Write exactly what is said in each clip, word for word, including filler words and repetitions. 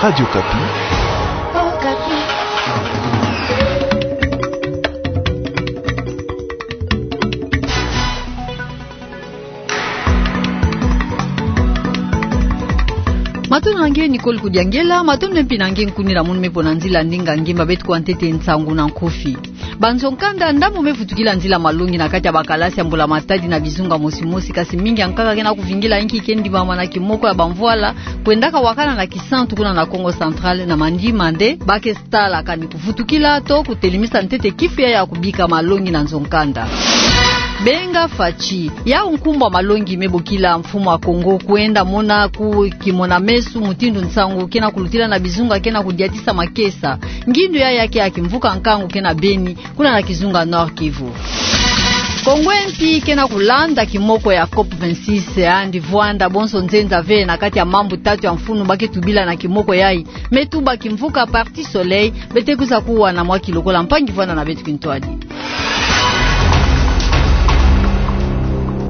Radio Okapi. Matondo na nge Nicole Kudiangela, matondo mpe na nge nkuni la munu me pona nzila ndinga nge mba beto kwa ntete nsangu na nkofi. Banzo nkanda ndambu me vutukila nzila malongi na kati ya bakalasi ya mbula matadi na bizunga mosi mosi, kasi mingi ya nkaka ke na kuvingila inki ke ndimama na kimoko ya bamvwala, kwendaka wakana na Kisantu kuna na Kongo Central, na mandima nde ba ke sala kani kuvutukila to kutelemisa ntete kifu ya ya kubika malongi na nzo nkanda. Benga Fatshi, yau nkumbu ya malongi me bokila mfumu ya Kongo kwenda mona ku kimona meso mutindu nsangu ke na kulutila na bizunga ke na kudiatisa makesa. Ngindu ya ya ke ya kimvuka nkangu ke na Beni, kuna na kizunga Nord-Kivu. Kongo mpi ke na kulanda kimoko ya COP vingt-six, yandi vwanda bonso nzenza ve na kati ya mambu tatu ya mfunu ba ke tubila na kimoko yayi. Me tuba kimvuka Parti Soleil, beto kwiza kuwa na mwa ki lokola mpangi vwanda na beto kintwadi.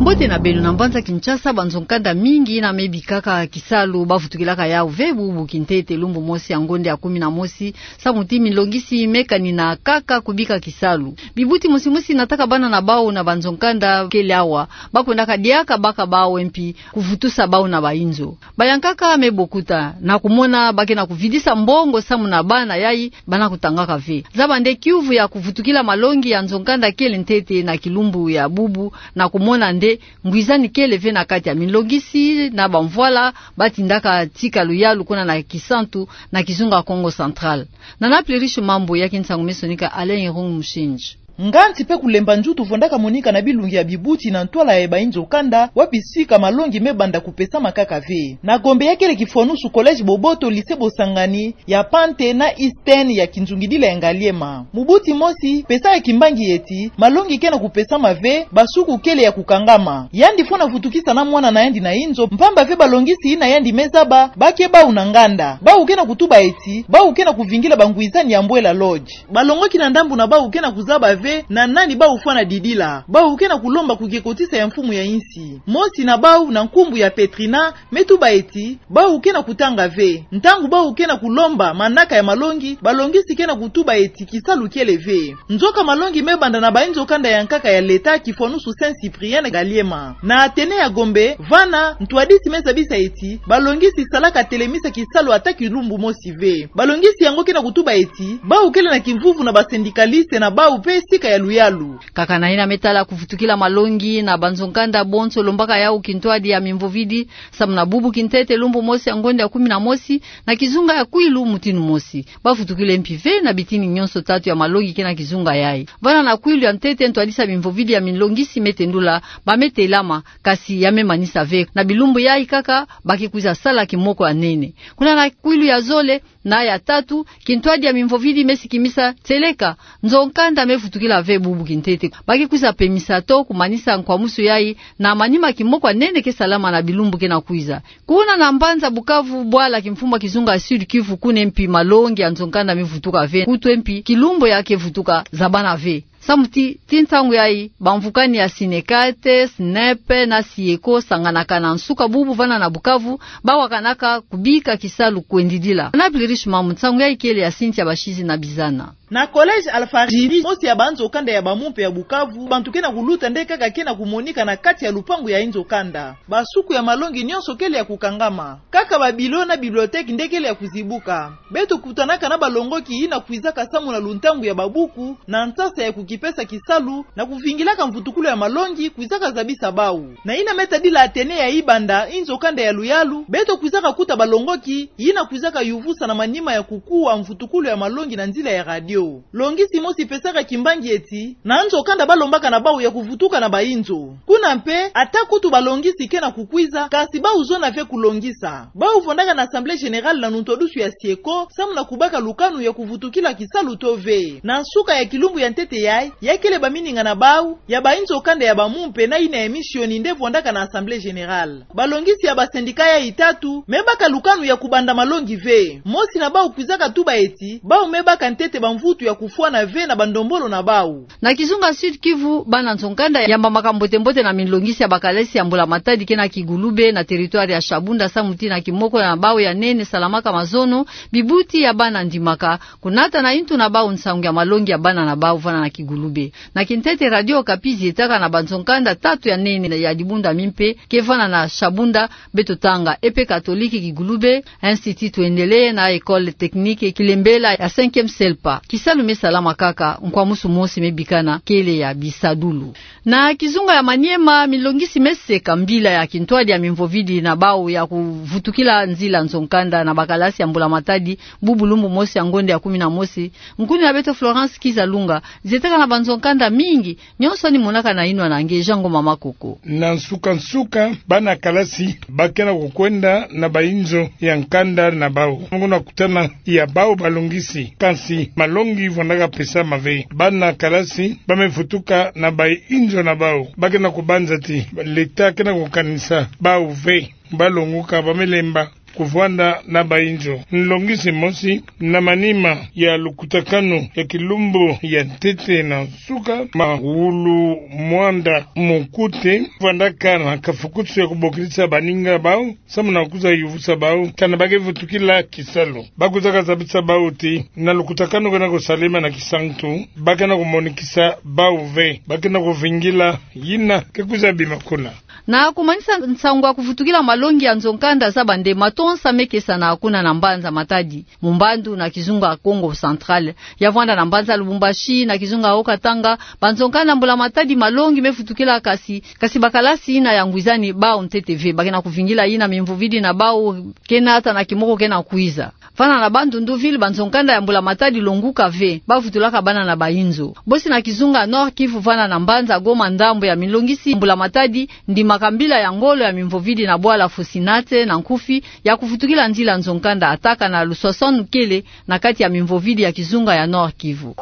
Mbote na beno. Na mbanza Kinshasa, banzo nkanda mingi yina me bikaka kisalu ba vutukilaka yau ve bubu kintete lumbu mosi ya ngonde ya kumi na mosi, samu ti milongisi me kanina kaka kubika kisalu. Bibuti mosi mosi nataka bana na bau na banzo nkanda kele awa, ba kwendaka diaka baka bau mpi kuvutusa bau na bainzo. Bayankaka me bokuta na kumona ba ke na kuvidisa mbongo samu na bana yayi ba na kutangaka ve. Zaba nde kiuvu ya kuvutukila malongi ya nzo nkanda kele ntete na kilumbu ya bubu, na kumona nde ngwizani kele ve na kati ya milongisi na bamvwala ba tindaka tika luyalu kuna na Kisantu na kizunga Kongo Central. Nana Plurish Mambu, ya ki nsangu me sonika Alain Irung Mushindji. Nganzi mpe kulemba nzutu vwandaka monika na bilungi ya bibuti na ntwala ya bainzo kanda, wapi sika malongi me banda kupesama kaka ve. Na Gombe, ya kele kifwanusu collège Boboto, lycée Bosangani, ya Pante na Eastern ya kinzungidila ya Ngaliema. Mubuti mosi pesaka kimbangi eti malongi ke na kupesama ve, basuku kele ya kukangama. Yandi fwana vutukisa na mwana na yandi na inzo, mpamba ve balongisi yina yandi me zaba ba ke bau na nganda. Bau ke na kutuba eti bau ke na kuvingila bangwizani ya Mboela Lodge. Balongoki na ndambu na bau ke na kuzaba ve na nani bau fwana didila. Bau ke na kulomba ku kikotisa ya mfumu ya insi. Mosi na bau na nkumbu ya Petrina me tuba eti bau ke na kutanga ve. Ntangu bau ke na kulomba manaka ya malongi, balongisi ke na kutuba eti kisalu kele ve. Nzoka malongi me banda na bainzo kanda ya nkaka ya leta, kifwanusu Saint Cyprien, Ngaliema. Na Athénée ya Gombe, vana ntwadisi me zabisa eti balongisi salaka telemisa kisalu ata kilumbu mosi ve. Balongisi yango ke na kutuba eti bau kele na kimvuvu na ba syndicaliste na bau mpe sika ya luyalu. Kaka na yina me tala kuvutukila malongi na banzo nkanda, bonso lombaka yau kintwadi ya mimvovidi, samu na bubu kintete lumbu mosi ya ngonde ya kumi na mosi, na kizunga ya Kwilu mutindu mosi. Ba vutukile mpi ve na bitini nyonso tatu ya malongi ke na kizunga yayi. Vana na Kwilu ya ntete, ntwadisi ya mimvovidi ya milongisi me tendula ba me telama, kasi ya me manisa ve. Na bilumbu yayi kaka ba ke kwiza sala kimoko ya nene. Kuna na Kwilu ya zole na ya tatu, kintwadi ya mimvovidi me sikimisa tieleka nzo nkanda me vutukila ve bubu kintete. Ba ke kwiza pemisa to kumanisa nkwamusu yayi na manima kimoko ya nene ke salama na bilumbu ke na kwiza. Kuna na mbanza Bukavu, bwala kimfumu ya kizunga Sud-Kivu, kuna mpi malongi ya nzo nkanda me vutuka ve. Kutu mpi kilumbu ya ke vutuka zabana ve. Samu ti, ti ntangu yayi, bamvukani ya Synecat, SNEP na SIECO sanganaka na nsuka bubu vana na Bukavu, ba wakanaka kubika kisalu kwendidila. Na Plurish Mambu, ntangu yayi kele ya sinti ya basizi na bizana. Na collège Alfajiri, mosi ya banzo kanda ya bamumpe ya Bukavu, bantu ke na kuluta nde kaka ke na kumonika na kati ya lupangu ya inzo kanda. Basuku ya malongi nyonso kele ya kukangama. Kaka ba bureau na bibliothèque nde kele ya kuzibuka. Beto kutanaka na balongoki yina kwizaka samu na luntangu ya babuku, na nsasa ya kukipesa kisalu, na kuvingilaka mvutukulu ya malongi kwizaka zabisa bau. Na yina me tadila Athénée ya Ibanda, inzo kanda ya luyalu, beto kwizaka kuta balongoki yina kwizaka yuvusa na manima ya kukuwa mvutukulu ya malongi na nzila ya radio. Longisi mosi pesaka kimbangi eti na nzo kanda ba lombaka na bau ya kuvutuka na bainzo. Kuna mpe, ata kutu balongisi ke na kukwiza, kasi bau zona ve kulongisa. Bau vwandaka na Assemblée générale na nuntu dusu ya SIECO, samu na kubaka lukanu ya kuvutukila kisalu to ve. Na nsuka ya kilumbu ya ntete yayi, ya kele bamininga na bau, ya bainzo kanda ya bamumpe na yina ya misioni nde vwandaka na Assemblée générale. Balongisi ya ba syndicat yayi tatu me baka lukanu ya kubanda malongi ve. Mosi na bau kwizaka tuba eti bau me baka ntete bamvu kutu ya kufwana ve na bandombolo na bau. Na kizunga Sud-Kivu, bana nzo-nkanda yambamaka mbote-mbote na minlongisi ya bakalasi ya mbula matadi ke na Kigulube na territoire ya Shabunda samu ti na kimoko na bau ya nene salamaka mazono, bibuti ya bana ndimaka kunata na yintu na bau nsangu ya malongi ya bana na bau vana na Kigulube. Na kintete Radio Okapi zietaka na banzo-nkanda tatu ya nene ya dibundu ya mimpe ke vana na Shabunda, beto tanga E P Catholique Kigulube, Institut Tuendelee na École Technique Kilembela ya cinquième CELPA. Kisalu me salama kaka, nkwamusu mosi me bikana, kele ya bisadulu. Na kizunga ya Maniema, milongisi me seka mbila ya kintwadi ya mimvovidi na bau ya kuvutukila nzila nzo-nkanda na bakalasi ya mbula matadi, bubu lumbu mosi ya ngonde ya kumi na mosi. Nkuni na beto Florence Kizalunga zietaka na banzo-nkanda mingi, nyonso ni monaka na yinwa na nge Jean Ngoma Makoko. Na nsuka-nsuka, bana kalasi ba ke na kukwenda na bayinzo ya nkanda na bau, kuna kutana ya bau balongisi, kansi malongi vwandaka pesama ve. Bana kalasi ba me vutuka na bayinzo na bau, ba ke na kubanza ti Leta ke na kukanisa bau ve. Balongoka, ba me lemba kuvwanda na bayinzo. Nlongisi mosi, na manima ya lukutakanu ya kilumbu ya ntete na nsuka, mawulu mwanda mokute vwandaka na kafukusu ya kubokilisa baninga bau samu na kwiza yuvusa bau kana ba ke vutukila kisalu. Ba kwizaka zabisa bau ti na lukutakanu ke na kusalema na kisantu, ba ke na kumonikisa bau ve, ba ke na kuvingila yina ke kwiza bima kuna. Na kumanisa nsangu ya kuvutukila malongi ya nzo-nkanda, zaba nde matonsa me kesana kuna na mbanza Matadi, mu mbandu na kizunga Kongo Central, ya vwanda na mbanza Lubumbashi na kizunga Haut-Katanga. Banzo-nkanda mbula matadi malongi me vutukila, kasi, kasi bakalasi yina ya ngwizani bau ntete ve, ba ke na kuvingila yina mimvovidi na bau ke nata na kimoko ke na kwiza. Vana na Bandundu-Ville, banzo-nkanda ya mbula matadi longuka ve, ba vutulaka bana na bayinzo. Bosi na kizunga Nord-Kivu, vana na mbanza Goma, ndambu ya milongisi mbula matadi ndimaka mbila ya ngolo ya mimvovidi na bwala Fosinate na nkufi, ya kuvutukila nzila nzo-nkanda ataka na luswaswanu kele na kati ya mimvovidi ya kizunga ya Nord-Kivu.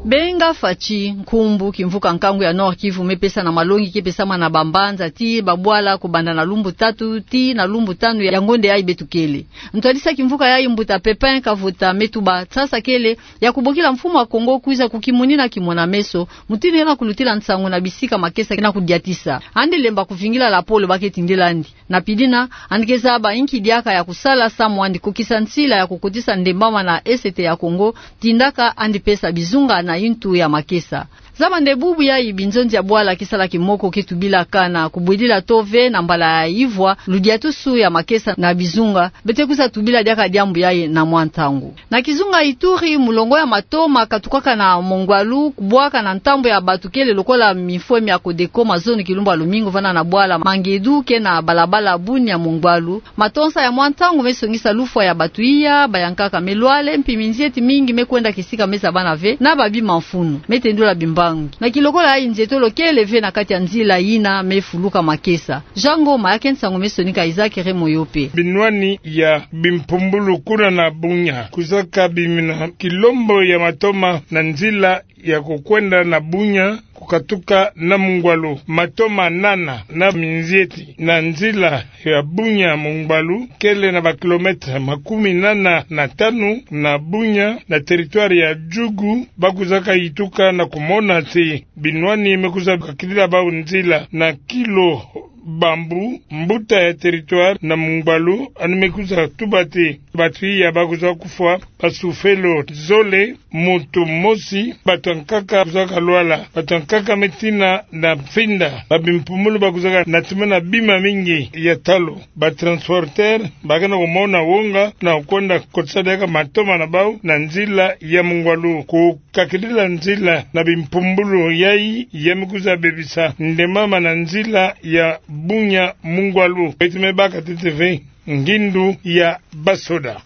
Benga Fatshi, nkumbu kimvuka nkangu ya Nord-Kivu, me pesa na malongi ke pesama na bambanza ti babwala kubanda na lumbu tatu tii na lumbu tanu ya ngonde yayi beto kele. Ntwadisi ya kimvuka yayi, mbuta Pépin Kavota, me tuba nsasa kele ya kubokila mfumu ya Kongo kwiza kukimonina kimona-meso mutindu yena kulutila nsangu na bisika makesa ke na kudiatisa. Yandi lemba kuvingila lapolo ba ke tindila yandi. Na pidina, yandi ke zaba inki diaka ya kusala samu yandi kokisa nsila ya kukotisa ndembama na Est ya Kongo, tindaka yandi pesa bizunga na yintu ya makesa. Zaba nde bubu yayi binzonzi ya bwala ke sala kimoko ke tubila kana kubwidila to ve na mbala ya ivwa ludiatusu ya makesa na bizunga. Beto kwiza tubila diaka diambu yayi na mwa ntangu. Na kizunga Ituri, mulongo ya matoma katukaka na Mongwalu kubwaka na ntambu ya bato kele lokola mifwe mia Codeco mazono kilumbu ya lumingu vana na bwala Mangedu ke na balabala Bunia-Mongwalu. Matonsa ya mwa ntangu me songisa lufwa ya bato iya, bayankaka me lwale, mpi minzieti mingi me kwenda kisika me zabana ve na babima-mfunu, me tendula bimbangi. Na kilokola yayi, nzietolo kele ve na kati ya nzila yina me fuluka makesa. Jean Ngoma, ya ke nsangu me sonika Isaac Remoyope. Binwani ya bimpumbulu kuna na Bunia kwizaka bimina kilombo ya matoma na nzila ya kukwenda na Bunia kukatuka na Mongwalu. Matoma nana na minzieti na nzila ya Bunia-Mongwalu, kele na bakilometre makumi nana na tanu na Bunia, na territoire ya Djugu, ba kwizaka yituka na kumona ti binwani me kwiza kakidila bau nzila na kilo bambu. Mbuta ya territoire na Mongwalu, yandi me kwiza tuba ti bato iya ba kwiza kufwa, basufelo zole, moto mosi, bato nkaka kwizaka lwala, bato nkaka me tina na mfinda, babimpumbulu ba kwizaka natumana bima mingi ya talo. Batransporteur ba ke na kumona wonga na kwenda kotisa diaka matoma na bau na nzila ya Mongwalu. Kukakidila nzila na bimpumbulu yayi ya me kwiza bebisa ndembama na nzila ya Bunia-Mongwalu. Beti me baka ntete ve ngindu ya basoda.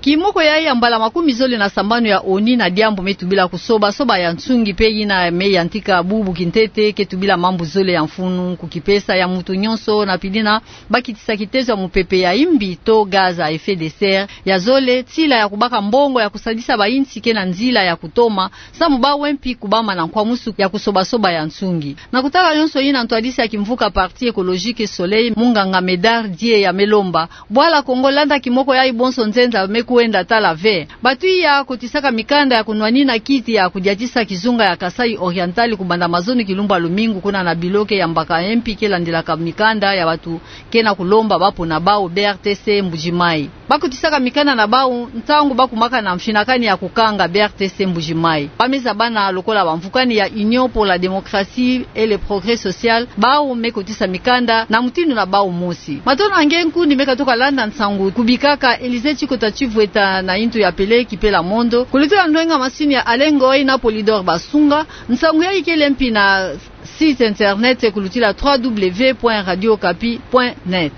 Kimoko yayi ya mbala makumi zole na sambanu ya ONU na diambu me tubila kusoba soba ya nsungi pe yina me yantika bubu kintete ke tubila mambu zole ya mfunu ku kipesa ya mutu nyonso na pidina bakitisa kitezo ya mupepe ya imbi to gaz à effet de serre ya zole, tila ya kubaka mbongo ya kusadisa bayinsi ke na nzila ya kutoma samu bau wempi kubama na nkwamusu ya kusoba soba ya nsungi. Na kutala nyonso yina, ntwadisi ya kimvuka Parti Ecologique Soleil, munganga Medard Die, ya me lomba bwala Kongo landa kimoko yayi bonso nzenza me kuenda tala ve. Batu ya kotisaka mikanda ya kunwanina kiti ya kudiatisa kizunga ya Kasaï Oriental kubanda mazono kilumbu ya lumingu kuna na bilo ke yambaka yempi ke landilaka mikanda ya batu ke na kulomba bapona bau BRTC Mbuji-Mayi. Bakotisaka mikanda na bau ntangu bakumaka na mfinakani ya kukanga BRTC Mbuji-Mayi. Ba me zabana lokola bamvukani ya Union pour la démocratie et le progrès social, bau me kotisa mikanda na mutindu na bau mosi. Matondo na nge nkundi me katuka landa nsangu kubikaka. Elise Chikota Chivweta na intu ya pele kipela mondo, kulutila ndwenga masini ya Alain Ngoy na Polydor Basunga. Nsangu yayi kele mpi na site internet kulutila trois W point radio okapi point net.